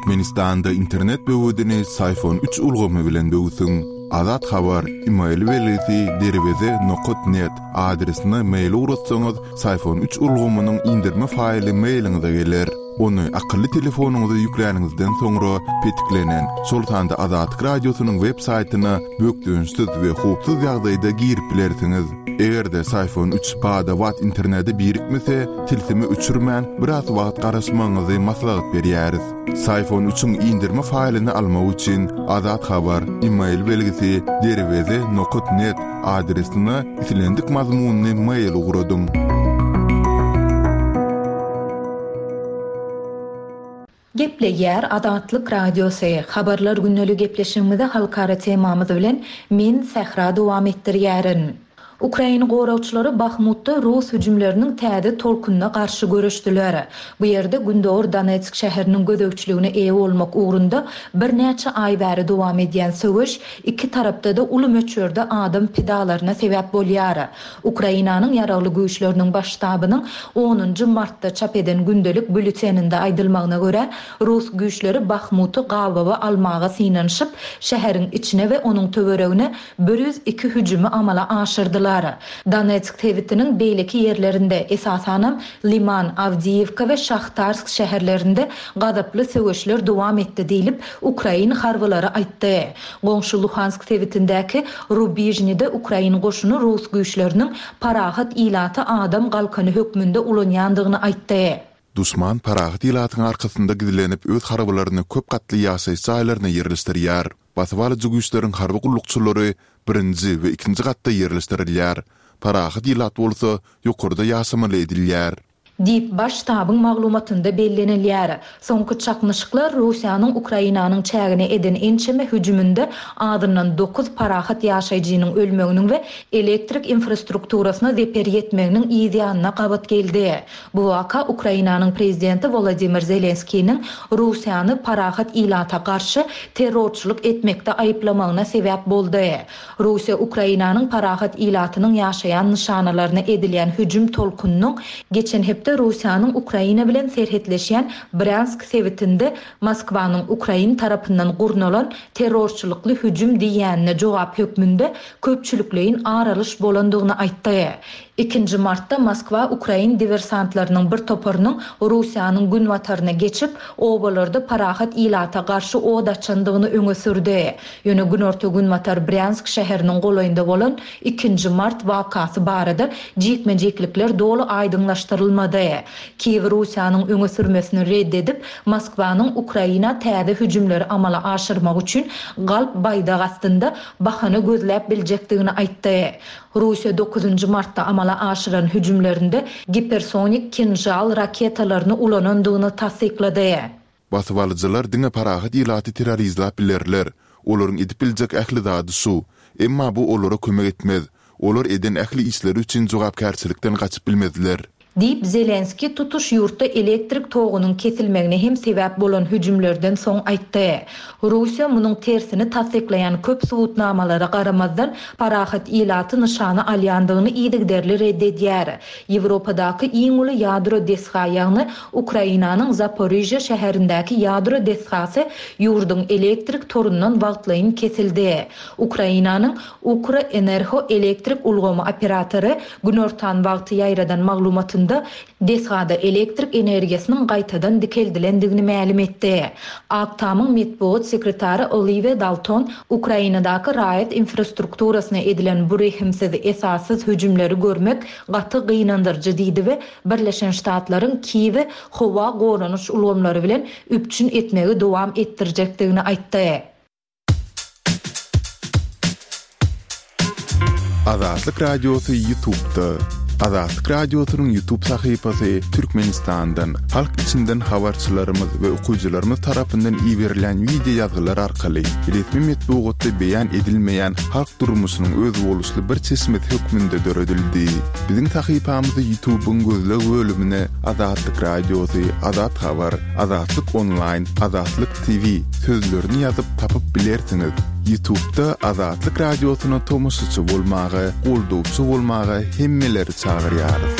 Türkmenistanda internet böwedini Syfon üç ulgamy bilen böwsüň. Azat Habar, email belgisi derweze nokat net adresine mail ugratsaňyz, Syfon üç ulgamynyň indirme faýly mailiňize geler. Ony akylly telefonyňyza ýükläniňizden soňra petiklenen, şol sanda Azatlyk Radiosynyň web saýtyna bökdençsiz we howpsuz ýagdaýda girip bilersiňiz. Eger-de Syfon üç bada-bat internete birikmese, tilsimi öçürmän, biraz wagt garaşmagyňyzy maslahat berýäris. Syfon üçiň indirme faýlyny almak üçin Azat Habar, email belgisi, derweze nokat net adresine islendik mazmunly mail ugradyň. Gepleýär Azatlyk Radiosy, Habarlar gündeli gepleşigimizi halkara temamyz bilen men Sähra dowam etdirýärin. Ukrain goragçylary Bahmutda rus hüjümleriniň täze tolkunyna garşy göreşdiler. Bu ýerde gündogar Donetsk şäheriniň gözegçiligine eýe bolmak ugrunda birnäçe aý bäri dowam edýän söweş iki tarapda-da uly möçberde adam pidalaryna sebäp bolýar. Ukrainanyň Ýaragly Güýçleriniň Baş ştabynyň onunjy martda çap eden gündelik býulleteninde aýdylmagyna görä, rus güýçleri Bahmuty gabawa almaga synanyşyp, şäheriň içine we onuň töweregine 102 hüjümi amala aşyrdylar. Donetsk sebitiniň beýleki ýerlerinde, esasanam, Liman, Awdiýewka we Şahtarsk şäherlerinde gazaply söweşler dowam etdi diýlip, ukrain harbylary aýtdy. Goňşy Luhansk sebitindäki Rubižnide ukrain goşuny rus güýçleriniň parahat ilaty adam galkany hökmünde ulanýandygyny aýtdy. Duşman parahat ilatyň arkasynda gizlenip öz harbylaryny köp gatly ýaşaýyş jaýlaryna ýerleşdirýär. Basybalyjy güýçleriň harby gullukçylary birinji we ikinji gatda ýerleşdirilýär. Parahat ilat bolsa ýokarda ýaşamaly edilýär. Diýip, Baş ştabyň maglumatynda bellenilýär. Soňky çaknyşyklar Russiýanyň Ukrainanyň çägine eden ençeme hüjüminde azyndan dokuz parahat ýaşaýjynyň ölmeginiň we elektrik infrastrukturasyna zeper ýetmeginiň yz ýanyna gabat geldi. Bu waka Ukrainanyň prezidenti Wolodymyr Zelenskiniň Russiýany parahat ilata garşy terrorçylyk etmekde aýyplamagyna sebäp boldy. Russiýa Ukrainanyň parahat ilatynyň ýaşaýan nyşanalaryna edilýän hüjüm tolkunynyň geçen hepde Russiýanyň Ukraina bilen serhetleşýän Brýansk sebitinde Moskwanyň ukrain tarapyndan gurnalan terrorçylykly hüjüm diýýänine jogap hökmünde köpçülikleýin ar alyş bolandygyny aýtdy. Ikinji martda Moskwa ukrain diwersantlarynyň bir toparynyň Russiýanyň günbataryna geçip, obalarda parahat ilata garşy od açandygyny öňe sürdi. Ýöne günorta-günbatar Brýansk şäheriniň golaýynda bolan ikinji mart wakasy barada jikme-jiklikler doly aýdyňlaşdyrylmady. Kiýew Russiýanyň öňe sürmesini red edip, Moskwanyň Ukraina täze hüjümleri amala aşyrmak üçin galp baýdak astynda bahana gözläp biljekdigini aýtdy. Russiýa dokuzynjy martda amala aşyran hüjümlerinde gipersonik Kinžal raketalaryny ulanandygyny tassyklady. Basybalyjylar diňe parahat ilaty terrorizläp bilerler. Olaryň edip biljek ähli zady şu. Emma bu olara kömek etmez. Olar eden ähli işleri üçin jogapkärçilikden gaçyp bilmezler. Diýip, Zelenskiý tutuş ýurtda elektrik togunyň kesilmegine hem sebäp bolan hüjümlerden soň aýtdy. Russiýa munuň tersini tassyklaýan köp subutnamalara garamazdan, parahat ilaty nyşana alýandygyny yzygiderli red edýär. Ýewropadaky iň uly ýadro desga, ýagny Ukrainanyň Zaporižýa şäherindäki ýadro desgasy ýurduň elektrik torundan wagtlaýyn kesildi. Ukrainanyň Ukroenerho elektrik ulgamy operatory günortan wagty ýaýradan maglumatynda desgada elektrik energiýasynyň gaýtadan dikeldilendigini mälim etdi. Ak Tamyň metbugat sekretary Oliwiýa Dalton Ukrainadaky raýat infrastrukturasyna edilen bu rehimsiz, esassyz hüjümleri görmek gaty gynandyryjy diýdi we Birleşen Ştatlaryň Kiýewi howa goranyş ulgamlary bilen üpjün etmegi dowam etdirjekdigini aýtdy. Azatlyk Radiosy Ýutubda. Azatlyk Radiosynyň Ýutub sahypasy Türkmenistandan, halk içinden habarçylarymyz we okyjylarymyz tarapyndan iberilýän wideo ýazgylar arkaly resmi metbugatda beýan edilmeýän halk durmuşynyň özboluşly bir çeşmesi hökmünde döredildi. Biziň sahypamyzy Ýutubyň gözleg bölümine Azatlyk Radiosy, Azat Habar, Azatlyk Onlaýn, Azatlyk TV sözlerini ýazyp tapyp bilersiňiz. Ýutubda Azatlyk Radiosyna tomaşaçy bolmaga, goldawçy bolmaga hemmeleri çagyrýarys.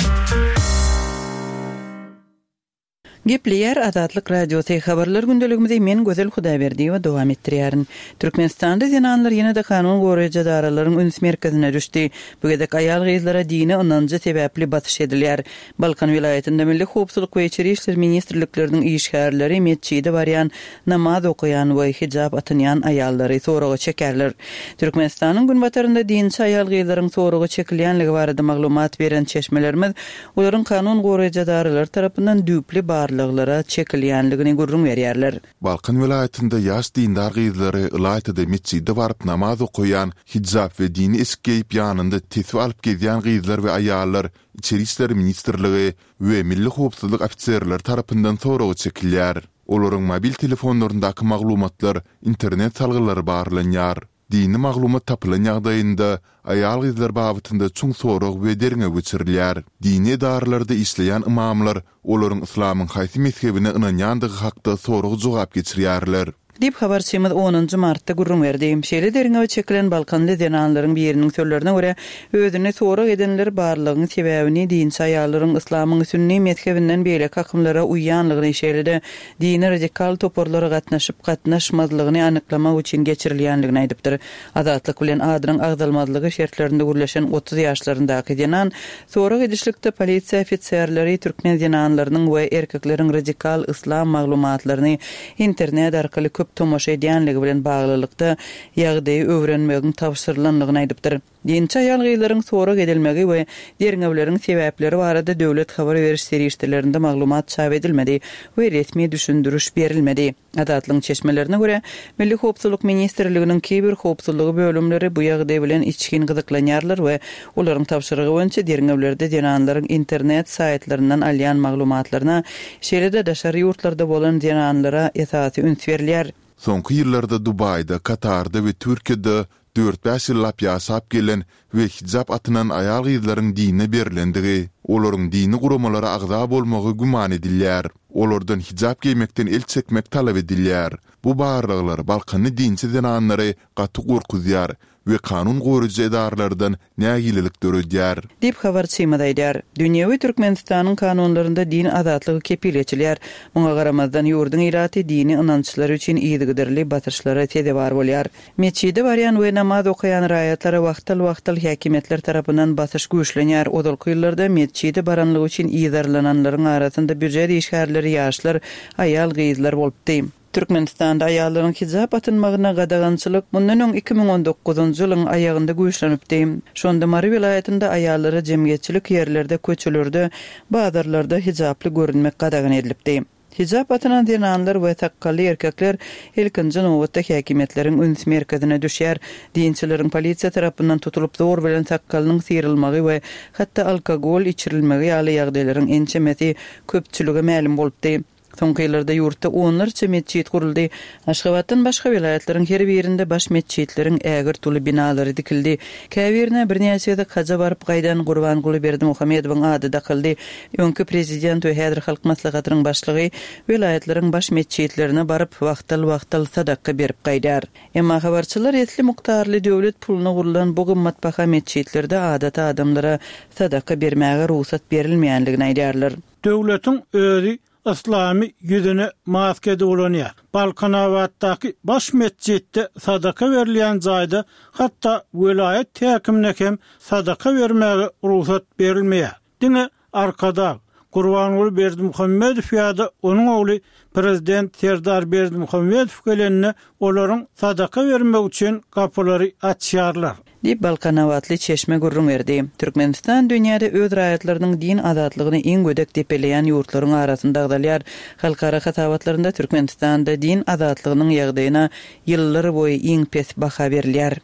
Gepleýär Azatlyk Radiosy, Habarlar gündeligimizi men Gözel Hudaýberdiýewa dowam etdirýärin. Türkmenistanda zenanlar ýene-de kanun goraýjy edaralaryň üns merkezine düşdi. Bu gezek aýal-gyzlara dini ynanjy sebäpli basyş edilýär. Balkan welaýatynda Milli howpsuzlyk we Içeri işler ministrlikleriniň işgärleri metjide barýan, namaz okaýan we hijap atynýan aýallary soraga çekerler. Türkmenistanyň günbatarynda dinçi aýal-gyzlaryň soraga çekilýänligi barada maglumat beren çeşmelerimiz olaryň kanun goraýjy edaralary tarapyndan düýpli barlaglara çekilýänligini gürrüň berýärler. Balkan welaýatynda ýaş dindar gyzlary, ylaýta-da metjide baryp namaz okaýan, hijap we dini eşik geýip ýanynda tesbi alyp gezýän gyzlar we aýallar Içeri işler ministrligi we Milli howpsuzlyk ofiserleri tarapyndan soraga çekilýär. Olaryň mobil telefonlaryndaky maglumatlar, internet salgylary barlanýar. Dini maglumat tapylan ýagdaýynda, aýal-gyzlar babatynda çuň sorag we derňew geçirilýär. Dini edaralarda işleýän ymamlar olaryň yslamyň haýsy mezhebine ynanýandygy hakda sorag-jogap geçirýärler. Diýip, habarçymyz onunjy martda gürrüň berdi. Şeýle derňewe çekilen balkanly zenanlaryň biriniň sözlerine görä, özüni sorag edenler barlygyň sebäbini dinçi aýallaryň yslamyň sünni mezhebinden beýleki akymlara uýýanlygyny, şeýle-de dini radikal toparlara gatnaşyp-gatnaşmazlygyny anyklamak üçin geçirilýänligini aýdypdyr. Azatlyk bilen adynyň agzalmazlygy şertlerinde gürleşen 30 ýaşlaryndaky zenan sorag edişlikde polisiýa ofiserleri türkmen zenanlarynyň we erkekleriň radikal yslam maglumatlaryny internet arkaly köp tomaşa edýänligi bilen baglylykda ýagdaýy öwrenmegiň tabşyrylandygyny aýdypdyr. Dinçi aýal-gyzlaryň sorag edilmegi we derňewleriň sebäpleri barada döwlet habar beriş serişdelerinde maglumat çap edilmedi we resmi düşündiriş berilmedi. Azatlygyň çeşmelerine görä, Milli howpsuzlyk ministrliginiň kiber howpsuzlygy bölümleri bu ýagdaý bilen içgin gyzyklanýarlar we olaryň tabşyrygy boýunça derňewlerde zenanlaryň internet saýtlaryndan alýan maglumatlaryna, şeýle-de daşary ýurtlarda bolan zenanlara esasy üns berilýär. Soňky ýyllarda Dubaýda, Katarda we Türkiýede dört-bäş ýyllap ýaşap gelen we hijap atynan aýal-gyzlaryň dine berlendigi, olaryň dini guramalara agza bolmagy güman edilýär. Olardan hijap geýmekden el çekmek talap edilýär. Bu barlaglar balkanly dinçi zenanlary gaty gorkuzýar we kanun goraýjy edaralardan nägilelik döredýär. Diýip, habarçymyz aýdýar. Dünýewi Türkmenistanyň kanunlarynda din azatlygy kepil geçilýär. Muňa garamazdan, ýurduň ilaty dini ynançlary üçin yzygiderli basyşlara sezewar bolýar. Metjide barýan we namaz okaýan raýatlara wagtal-wagtal häkimiýetler tarapyndan basyş güýçlenýär. Ozalky ýyllarda metjide baranlygy üçin yzarlananlaryň arasynda býujet işgärleri, ýaşlar, aýal-gyzlar bolupdy. Türkmenistanda aýallaryň hijap atynmagyna gadagançylyk mundan öň 2019-njy ýylyň aýagynda güýçlenipdi. Şonda Mary welaýatynda aýallara jemgyýetçilik ýerlerde, köçelerde, bazarlarda hijaply görünmek gadagan edilipdi. Hijap atynan zenanlar we sakgally erkekler ilkinji nobatda häkimiýetleriň üns merkezine düşýär. Dinçileriň polisiýa tarapyndan tutulyp zor bilen sakgalynyň syrylmagy we hatda alkogol içirilmegi ýaly ýagdaýlaryň ençemesi köpçülige mälim bolupdy. Soňky ýyllarda ýurtda onlarça metjit guruldy. Aşgabatdan başga welaýatlaryň her birinde baş metjitleriň ägirt uly binalary dikildi. Käbirine birnäçe gezek haja baryp gaýdan Gurbanguly Berdimuhamedowyň ady dakyldy. Öňki prezident we häzir Halk Maslahatynyň başlygy welaýatlaryň baş metjitlerine baryp, wagtal-wagtal sadaka berip gaýdýar. Emma habarçylar esli mukdarly döwlet puluna gurlan bu gymmatbaha metjitlerde adaty adamlara sadaka bermäge rugsat berilmeýänligini aýdýarlar. Döwletiň özi yslamy ýüzüne maska edip ulanýar. Balkanabatdaky baş metjitde sadaka berilýän jaýda hatda welaýat häkimine hem sadaka bermäge rugsat berilmeýär. Diňe Arkadag, Gurbanguly Berdimuhamedow ýa-da onuň ogly prezident Serdar Berdimuhamedow gelende olaryň sadaka bermegi üçin gapylary açýarlar. Diýip, balkanabatly çeşme gürrüň berdi. Türkmenistan dünýäde öz raýatlarynyň din azatlygyny iň gödek depeleýän ýurtlaryň arasynda agzalýar. Halkara hasabatlarynda Türkmenistanda din azatlygynyň ýagdaýyna ýyllar boýy iň pes baha berilýär.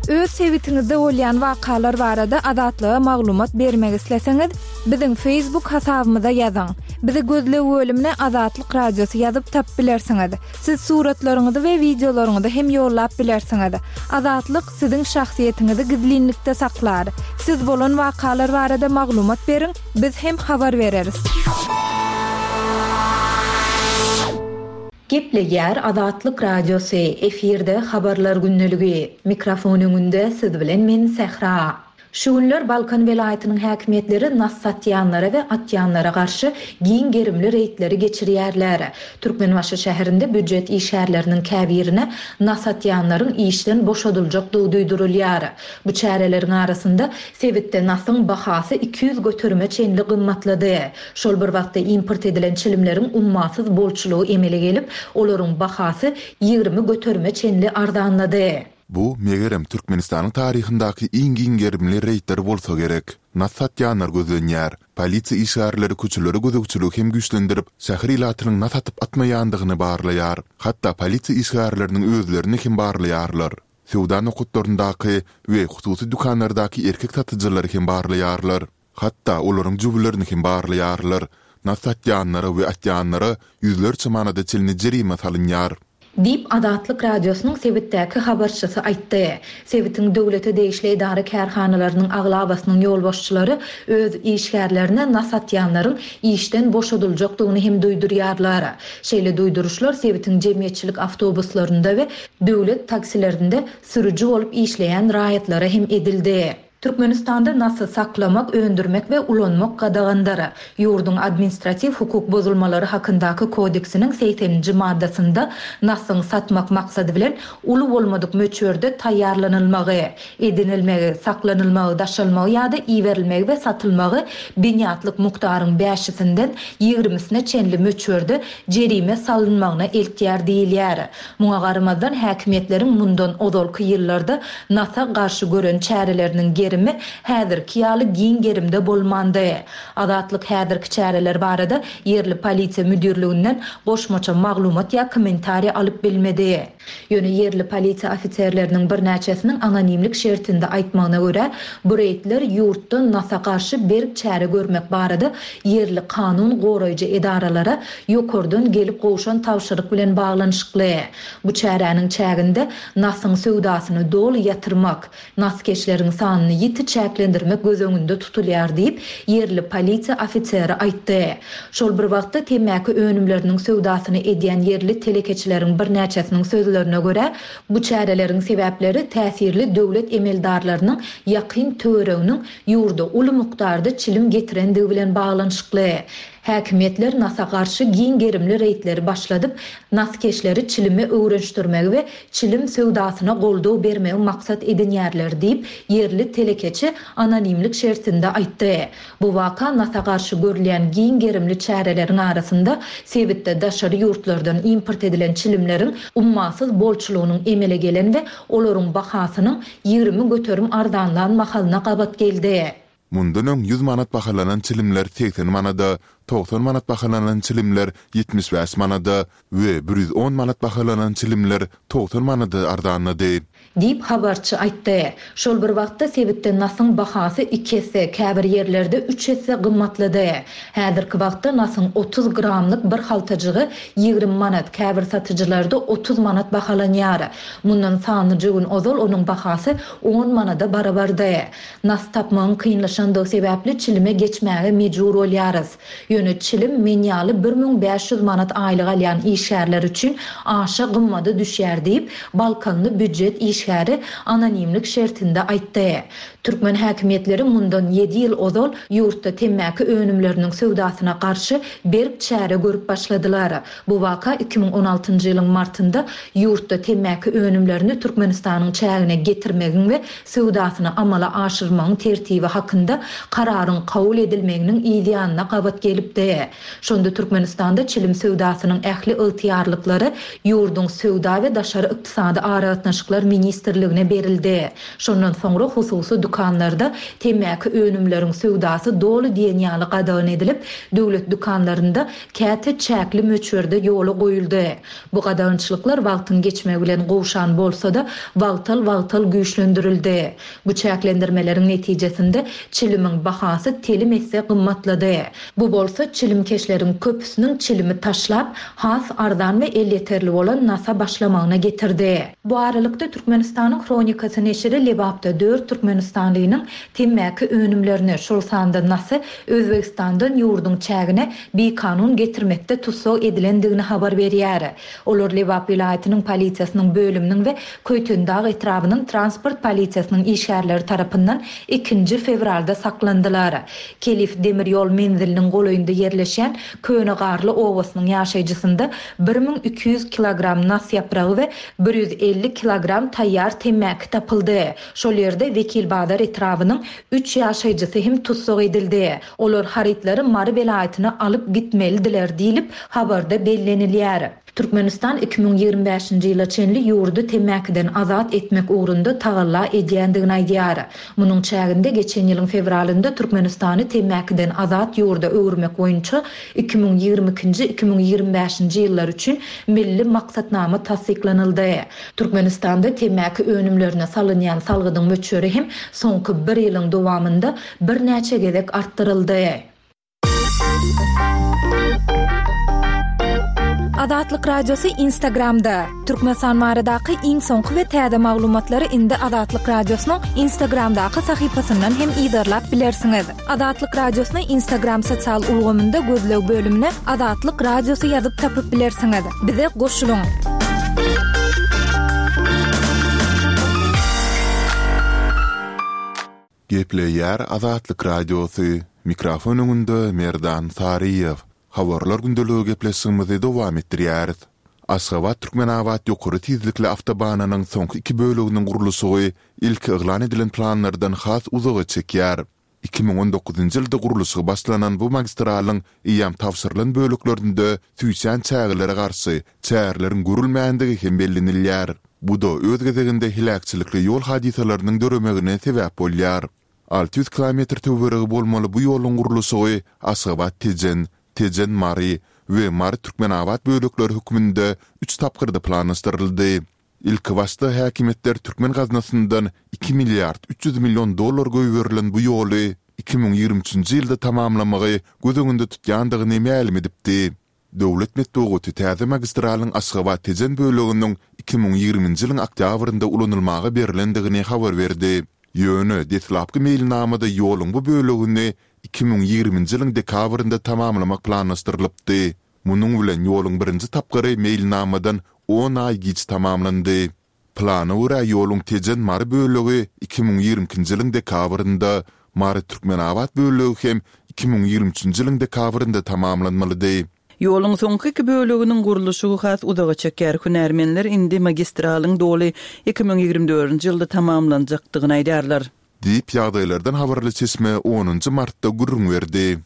Öz sebitiňizde bolýan wakalar barada Azatlyga maglumat bermek isleseňiz, biziň Facebook hasabymyza ýazyň. Bizi gözleg bölümine Azatlyk Radiosy ýazyp tapyp bilersiňiz. Siz suratlaryňyzy we wideolaryňyzy hem ýollap bilersiňiz. Azatlyk siziň şahsyýetiňizi gizlinlikde saklar. Siz bolan wakalar barada maglumat beriň, biz hem habar bereris. Gepleýär Azatlyk Radiosy, efirde Habarlar gündeligi. Mikrofon öňünde siz bilen men Sähra. Şu günler Balkan welaýatynyň häkimiýetleri nas satýanlara we atýanlara garşy giň gerimli reýdleri geçirýärler. Türkmenbaşy şäherinde býujet işgärleriniň käbirine nas atýanlaryň işden boşadyljakdygy duýdurylýar. Bu çäreleriň arasynda, sebitde nasyň bahasy 200 göterime çenli gymmatlady. Şol bir wagtda import edilen çilimleriň ummasyz bolçulygy emele gelip, olaryň bahasy 20 göterime çenli arzanlady. Bu, megerem, Türkmenistanyň taryhyndaky iň giň gerimli reýdler bolsa gerek. Nas satýanlar gözlenýär. Polisiýa işgärleri köçelere gözegçiligi hem güýçlendirip, şäher ilatynyň nas atyp-atmaýandygyny barlaýar. Hatda polisiýa işgärleriniň özlerini hem barlaýarlar. Söwda nokatlaryndaky we hususy dükanlardaky erkek satyjylary hem barlaýarlar. Hatda olaryň jübülerini hem barlaýarlar. Nas satýanlara we atýanlara ýüzlerçe manada çenli jerime salynýar. Diýip, Azatlyk Radiosynyň sebitdäki habarçysy aýtdy. Sebitiň döwlete degişli edara-kärhanalarynyň aglabasynyň ýolbaşçylary öz işgärlerine nas atýanlaryň işden boşadyljakdygyny hem duýdurýarlar. Şeýle duýduryşlar sebitiň jemgyýetçilik awtobuslarynda we döwlet taksilerinde sürüji bolup işleýän raýatlara hem edildi. Türkmenistanda nasy saklamak, öndürmek we ulanmak gadagandyr. Ýurduň Administratiw hukuk bozulmalary hakyndaky kodeksiniň segseninji maddasynda nasyň satmak maksady bilen uly bolmadyk möçberde taýýarlanylmagy, edinilmegi, saklanylmagy, daşalmagy ýa-da iberilmegi we satylmagy binýatlyk mukdaryň bäşisinden ýigrimisine çenli möçberde jerime salynmagyna eltýär diýilýär. Muňa garamazdan, häkimiýetleriň mundan ozalky ýyllarda nasa garşy gören çäreleriniň gerimi häzirki ýaly giň gerimde bolmandy. Azatlyk häzirki çäreler barada ýerli polisiýa müdirliginden goşmaça maglumat ýa kommentariý alyp bilmedi. Ýöne ýerli polisiýa ofiserleriniň birnäçesiniň anonimlik şertinde aýtmagyna görä, bu reýdler ýurtda nasa garşy berk çäre görmek barada ýerli kanun goraýjy edaralara ýokardan gelip gowşan tabşyryk bilen baglanyşykly. Bu çäräniň çäginde nasyň söwdasyny doly ýatyrmak, naskeşleriň sanyny ýiti çäklendirmek göz öňünde tutulýar diýip, ýerli polisiýa ofiseri aýtdy. Şol bir wagtda, temmäki önümleriniň söwdasyny edýän ýerli telekeçileriň birnäçesiniň sözlerine görä, bu çäreleriň sebäpleri täsirli döwlet emeldarlarynyň ýakyn töwereginiň ýurda uly mukdarda çilim getirendigi bilen baglanyşykly. Häkimiýetler nasa garşy giň gerimli reýdleri başladyp, naskeşleri çilime öwrenişdirmegi we çilim söwdasyna goldaw bermegi maksat edinýärler diýip, ýerli telekeçi anonimlik şertinde aýtdy. Bu waka nasa garşy görülýän giň gerimli çäreleriň arasynda sebitde daşary ýurtlardan import edilen çilimleriň ummasyz bolçulygynyň emele gelen we olaryň bahasynyň 20% arzanlan mahalyna gabat geldi. Mundan öň 100 manat bahalanan çilimler 80 manada, 90 manat bahalanan çilimler 75 manada we 110 manat bahalanan çilimler 90 manada arzanlady. Diýip, habarçy aýtdy. Şol bir wagtda, sebitde nasyň bahasy iki esse, käbir ýerlerde üç esse gymmatlady. Häzirki wagtda nasyň 30 gramlyk bir haltajygy 20 manat, käbir satyjylarda 30 manat bahalanýar. Mundan sanlyja gün ozal onuň bahasy on manada barabardy. Nas tapmagyň kynlaşandygy sebäpli çilime geçmäge mejbur bolýarys. Ýöne çilim men ýaly 1500 manat aýlyk alýan işgärler üçin aşa gymmada düşýär diýip, balkanly býujet işgäri anonimlik şertinde aýtdy. Türkmen häkimiýetleri mundan ýedi ýyl ozal ýurtda temmäki önümleriniň söwdasyna garşy berk çäre görüp başladylar. Bu waka 2016-njy ýylyň martynda ýurtda temmäki önümlerini Türkmenistanyň çägine getirmegiň we söwdasyny amala aşyrmagyň tertibi hakynda Kararyň kabul edilmeginiň yz ýanyna gabat gelipdi. Şonda Türkmenistanda çilim söwdasynyň ähli ygtyýarlyklary ýurduň Söwda we daşary ykdysady aragatnaşyklar ministrligine berildi. Şondan soňra hususy dükanlarda temmäki önümleriň söwdasy doly diýen ýaly gadagan edilip, döwlet dükanlarynda käte çäkli möçberde ýola goýuldy. Bu gadagançylyklar wagtyň geçmegi bilen gowşan bolsa-da, wagtal-wagtal güýçlendirildi. Bu çäklendirmeleriň netijesinde çilimiň bahasy telim esse gymmatlady. Bu bolsa çilimkeşleriň köpüsiniň çilimi taşlap, has arzan we elýeterli bolan nasa başlamagyna getirdi. Bu aralykda, Türkmenistanyň. Türkmenistanyň Hronikasy neşiri Lebapda dört türkmenistanlynyň temmäki önümlerini, şol sanda nasy Özbegistandan ýurduň çägine bikanun getirmekde tussag edilendigini habar berýär. Olar Lebap welaýatynyň polisiýasynyň bölüminiň we Köýtendag etrabynyň transport polisiýasynyň işgärleri tarapyndan ikinji fewralda saklandylar. Kelif demir ýol menziliniň golaýynda ýerleşýän Köne Garly obasynyň ýaşaýjysynda 1200 kilogram nas ýapragy we 150 kilogram taýýar temmäki tapyldy. Şol ýerde Wekilbazar etrabynyň üç ýaşaýjysy hem tussag edildi. Olar harytlary Mary welaýatyna alyp gitmelidiler diýlip, habarda bellenilýär. Türkmenistan 2025-nji ýyla çenli ýurdy temmäkiden azat etmek ugrunda tagalla edýändigini aýdýar. Munuň çäginde geçen ýylyň fewralynda Türkmenistany temmäkiden azat ýurda öwürmek boýunça 2022-nji, 2025-nji ýyllar üçin Milli maksatnama tassyklanyldy. Türkmenistanda temmäki önümlerine salynýan salgydyň möçberi hem soňky bir ýylyň dowamynda birnäçe gezek artdyryldy. Azatlyk Radiosy Instagramda, Türkmenistan baradaky iň soňky we täze maglumatlary indi Azatlyk Radiosynyň Instagramdaky sahypasyndan hem yzarlap bilersiňiz. Azatlyk Radiosyny Instagram sosial ulgamynda gözleg bölümine Azatlyk Radiosy ýazyp tapyp bilersiňiz. Bize goşulyň! Gepleýär Azatlyk Radiosy, mikrofon öňünde Merdan Saryýew. Habarlar gündeligi gepleşigimizi dowam etdirýäris. Aşgabat-Türkmenabat ýokary tizlikli awtobanynyň soňky iki böleginiň gurluşygy ilki yglan edilen planlardan has uzaga çekýär. 2019-njy ýylda gurluşygy başlanan bu magistralyň eýýäm tabşyrylan böleklerinde süýşýän çägelere garşy çäreleriň görülmändigi hem bellenilýär. Bu-da öz gezeginde heläkçilikli ýol hadysalarynyň döremegine sebäp bolýar. 600 kilometr töweregi bolmaly bu ýoluň gurluşygy Aşgabat-Tejen, Tejen-Mary we Mary-Türkmenabat bölekleri hökmünde üç tapgyrda planlaşdyryldy. Ilkibaşda häkimiýetler türkmen gaznasyndan iki milliard 300 million dollar goýberilen bu ýoly 2023-nji ýylda tamamlamagy göz öňünde tutýandygyny mälim edipdi. Döwlet metbugaty täze magistralyň Aşgabat-Tejen böleginiň 2020-nji ýylyň oktýabrynda ulanylmaga berlendigini habar berdi. Ýöne deslapky meýilnamada ýoluň bu bölegini 2020-nji ýylyň dekabrynda tamamlamak planlaşdyrylypdy. Munuň bilen ýoluň birinji tapgyry meýilnamadan on aý giç tamamlandy. Plana görä ýoluň Tejen-Mary bölegi 2022-nji ýylyň dekabrynda, Mary-Türkmenabat bölegi hem 2023-nji ýylyň dekabrynda tamamlanmalydy. Ýoluň soňky iki böleginiň gurluşygy has uzaga çeker. Hünärmenler indi magistralyň doly 2024-nji ýylda tamamlanjakdygyny aýdýarlar. Diýip, ýagdaýlardan habarly çeşme onunjy martda gürrüň berdi.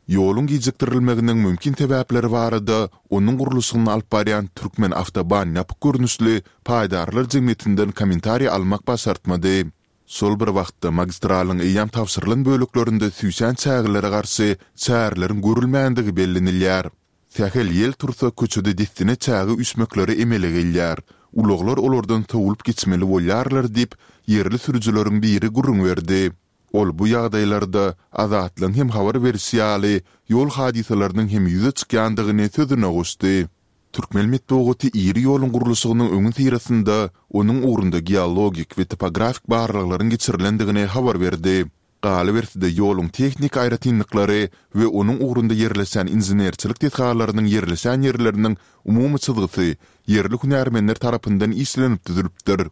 Ýoluň gijikdirilmeginiň mümkin sebäpleri barada onuň gurluşygyny alyp barýan Türkmenawtoban ýapyk görnüşli paýdarlar jemgyýetinden kommentariý almak başartmady. Şol bir wagtda, magistralyň eýýäm tabşyrylan böleklerinde süýşen çägelere garşy çäreleriň görülmändigi bellenilýär. Sähel ýel tursa köçede dessine çäge üýşmekleri emele gelýär. Ulaglar olardan sowulyp geçmeli bolýarlar diýip, ýerli sürüjileriň biri gürrüň berdi. Ol bu ýagdaýlarda, Azatlygyň hem habar berişi ýaly, ýol hadysalarynyň hem ýüze çykýandygyny sözüne goşdy. Türkmen metbugaty iri ýoluň gurluşygynyň öňüsyrasynda onuň ugrunda geologik we topografik barlaglaryň geçirilendigini habar berdi. Galyberse-de, ýoluň tehniki aýratynlyklary we onuň ugrunda ýerleşýän inženerçilik desgalarynyň ýerleşen ýerleriniň umumy çyzgysy ýerli hünärmenler tarapyndan işlenip düzülipdir.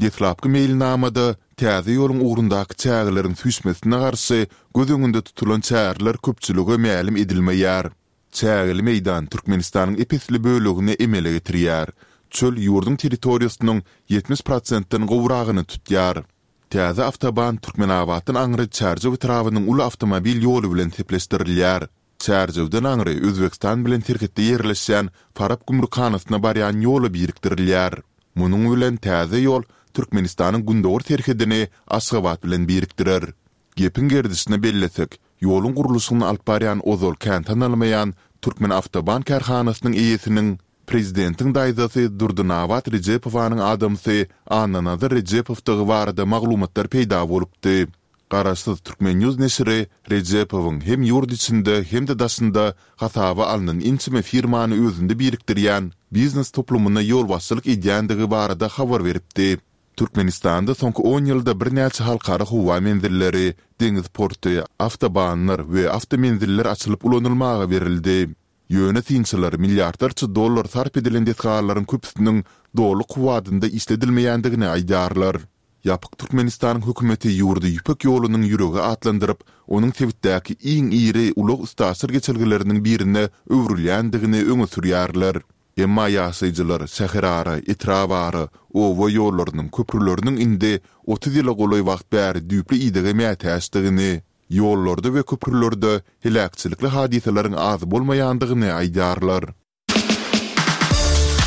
Deslapky meýilnamada täze ýoluň ugrundaky çägeleriň süýşmesine garşy göz öňünde tutulan çäreler köpçülige mälim edilmeýär. Çägeli meýdan Türkmenistanyň ep-esli bölegini emele getirýär. Çöl ýurduň territoriýasynyň 70 prosentden gowragyny tutýar. Täze awtoban Türkmenabatdan aňry Çärjew etrabynyň uly awtomobil ýoly bilen sepleşdirilýär. Çärjewden aňry Özbegistan bilen serhetde ýerleşýän Farap gümrükhanasyna barýan ýola birikdirilýär. Munuň bilen täze ýol Türkmenistanyň gündogar serhedini Aşgabat bilen birikdirer. Gepiň gerdişine bellesek, ýoluň gurluşygyny alyp barýan ozal kän tanalmaýan Türkmenawtoban kärhanasynyň eýesiniň, prezidentiň daýzasy Durdynabat Rejepowanyň adamsy Annanazar Rejepowdygy barada maglumatlar peýda bolupdy. Garaşsyz Turkmen. News neşiri Rejepowyň hem ýurt içinde, hem-de daşynda hasaba alnan ençeme firmany özünde birikdirýän biznes toplumyna ýolbaşçylyk edýändigi barada habar beripdi. Türkmenistanda soňky on ýylda birnäçe halkara howa menzilleri, deňiz porty, awtobanlar we awtomenziller açylyp ulanylmaga berildi. Ýöne synçylar milliardlarça dollar sarp edilen desgalaryň köpüsiniň doly kuwwadynda işledilmeýändigini aýdýarlar. Ýapyk Türkmenistanyň hökümeti ýurdy Ýüpek ýolunyň ýüregi atlandyryp, onuň sebitdäki iň iri ulag-üstaşyr geçelgeleriniň birine öwrülýändigini öňe sürýärler. Emma ýaşaýjylar şäherara, etrabara, oba ýollarynyň, köprüleriniň indi 30 ýyla golaý wagt bäri düýpli idege mätäçdigini, ýollarda we köprülerde heläkçilikli hadysalaryň az bolmaýandygyny aýdýarlar.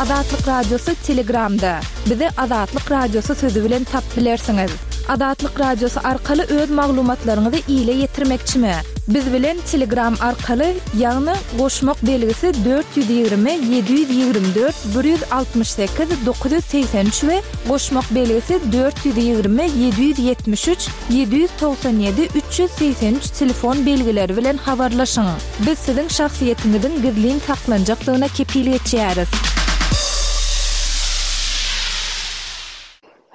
Azatlyk Radiosy Telegramda. Bizi Azatlyk Radiosy sözi bilen tap bilersiňiz. Azatlyk Radiosy arkaly öz maglumatlaryňyzy ile ýetirmekçimi? Biz bilen Telegram arkaly, ýagny goşmak belgisi 420 724 168 983 we goşmak belgisi 420 773 797 383 telefon belgileri bilen habarlaşyň. Biz siziň şahsyýetiňiziň gizlin saklanjakdygyna kepil geçýäris.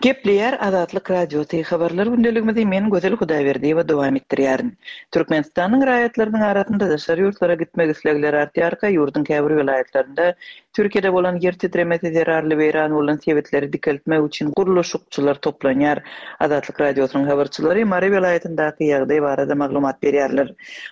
Gepleýär Azatlyk Radiosy, Habarlar gündeligimizi men Gözel Hudaýberdiýewa dowam etdirýärin. Türkmenistanyň raýatlarynyň arasynda daşary ýurtlara gitmek islegleri artýarka, ýurduň käbir welaýatlarynda Türkiýede bolan ýer titremesi zerarly weýran bolan sebitleri dikeltmek üçin gurluşykçylar toplanýar. Azatlyk Radiosynyň habarçylary Mary welaýatyndaky ýagdaý barada maglumat berýärler.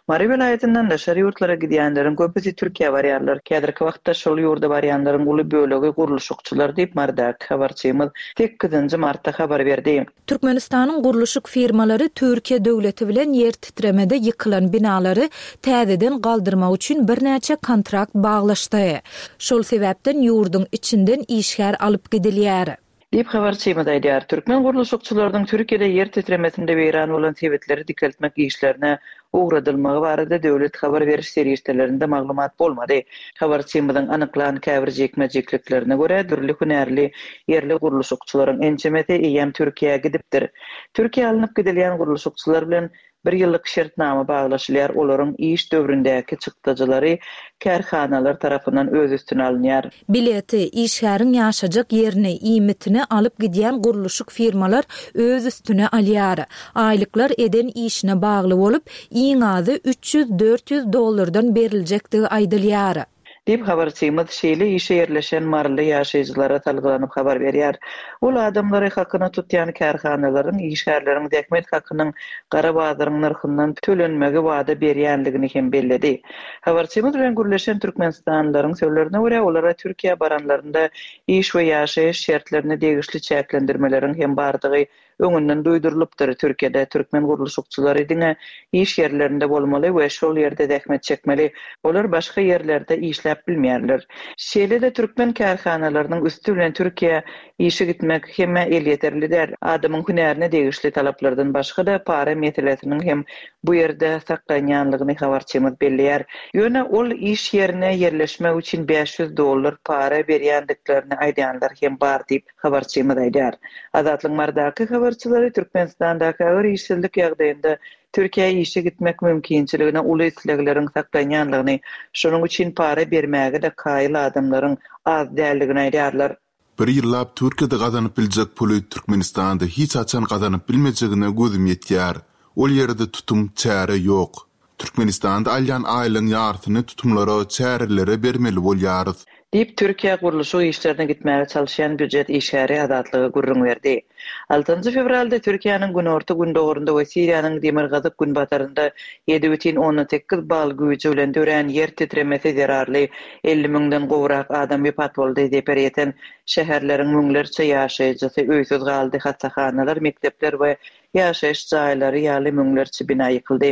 Mary welaýatyndan daşary ýurtlara gidýänleriň köpüsi Türkiýä barýarlar. Häzirki wagtda şol ýurda barýanlaryň uly bölegi gurluşykçylar diýip, Marydaky habarçymyz sekizinji martda habar berdi. Türkmenistanyň gurluşyk firmalary Türkiýe döwleti bilen ýer titremede ýykylan binalary täzeden galdyrmak üçin birnäçe kontrakt baglaşdy. Şol sebäpden ýurduň içinden işgär alyp gidilýär. Diýip, habarçymyz aýdýar. Türkmen gurluşykçylarynyň Türkiýede ýer titremesinde weýran bolan sebitleri dikeltmek işlerine ugradylmagy barada döwlet habar beriş serişdelerinde maglumat bolmady. Habarçymyzyň anyklan käbir jikme-jikliklerine görä, dürli hünärli ýerli gurluşykçylaryň ençemesi eýýäm Türkiýä gidipdir. Türkiýä alnyp gidilýän gurluşykçylar bilen Bir ýyllyk şertnama baglaşylýar, olaryň iş döwründäki çykdajylary kärhanalar tarapyndan öz üstüne alynýar. Bileti, işgäriň ýaşajak ýerini, iýmitini alyp gidýän gurluşyk firmalar öz üstüne alýar. Aýlyklar eden işine bagly bolup, iň azy 300-400 dollardan beriljekdigi aýdylýar. Diýip, habarçymyz şeýle işe ýerleşen maryly ýaşaýjylara salgylanyp habar berýär. Ol adamlary hakyna tutýan kärhanalaryň işgärleriň zähmet hakynyň gara bazaryň nyrhyndan tölenmegi wada berýändigini hem belledi. Habarçymyz bilen gürleşen türkmenistanlylaryň sözlerine görä, olara Türkiýä baranlarynda iş we ýaşaýyş şertlerine degişli çäklendirmeleriň hem bardygy öňünden duýdurylypdyr, Türkiýede türkmen gurluşykçylary diňe iş ýerlerinde bolmaly we şol ýerde zähmet çekmeli, olar başga ýerlerde işläp bilmeýärler. Şeýle-de türkmen kärhanalarynyň üsti bilen Türkiýä işe gitmek hemmä elýeterli däl. Adamyň hünärine degişli talaplardan başga-da para meselesiniň hem bu ýerde saklanýanlygyny habarçymyz belleýär. Ýöne ol iş ýerine ýerleşmek üçin 500 dollar para berýändiklerini aýdýanlar hem bar diýip, Habarçymyz aýdýar. Azatlygyň Marydaky habarçylary Türkmenistandaky agyr işsizlik ýagdaýynda Türkiýä işe gitmek mümkinçiligine uly islegleriň saklanýanlygyny, şonuň üçin para bermäge-de kaýyl adamlaryň az däldigini aýdýarlar. Bir ýyllap Türkiýede gazanyp biljek puly Türkmenistanda hiç haçan gazanyp bilmejegine gözüm ýetýär. Ol ýerde tutum, çäre ýok. Türkmenistanda alýan aýlygyň ýarsyny tutumlara, çärelere bermeli bolýarys. Diýip, Türkiýä gurluşyk işlerine gitmäge çalyşýan býujet işgäri Azatlyga gürrüň berdi. Altynjy fewralda Türkiýäniň günorta-gündogarynda we Siriýanyň demirgazyk-günbatarynda 7,8 bal güýji bilen dörän ýer titremesi zerarly 50 müňden gowrak adam wepat boldy, zeper ýeten şäherleriň müňlerçe ýaşaýjysy öýsüz galdy, hassahanalar, mekdepler we Ýaşaýyş jaýlary ýaly müňlerçe bina ýykyldy.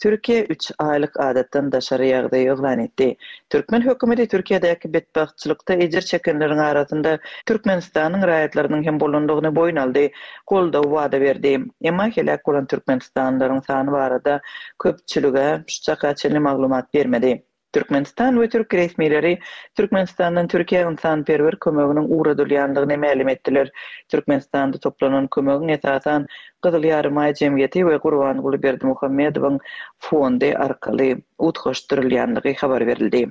Türkiýe üç aýlyk adatdan daşary ýagdaý yglan etdi. Türkmen hökümeti Türkiýedäki betbagtçylykda ejir çekenleriň arasynda Türkmenistanyň raýatlarynyň hem bolandygyny boýun aldy, goldaw wada berdi. Emma heläk bolan türkmenistanlylaryň sany barada köpçülige şu çaka çenli maglumat bermedi. Türkmenistan we türk resmileri Türkmenistandan Türkiýä ynsanperwer kömeginiň ugradylýandygyny mälim etdiler. Türkmenistanda toplanan kömegiň esasan Gyzyl Ýarymaý jemgyýeti we Gurbanguly Berdimuhamedowyň fondy arkaly utgaşdyrylýandygy habar berildi.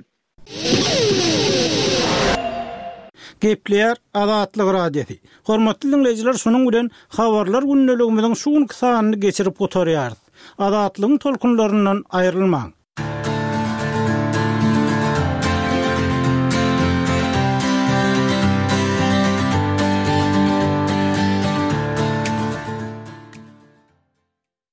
Gepleýär Azatlyk Radiosy. Hormatly diňleýjiler şunuň bilen Habarlar gündeligimiziň şu günki sanyny geçirip gutarýarys. Azatlygyň tolkunlaryndan aýrylmaň.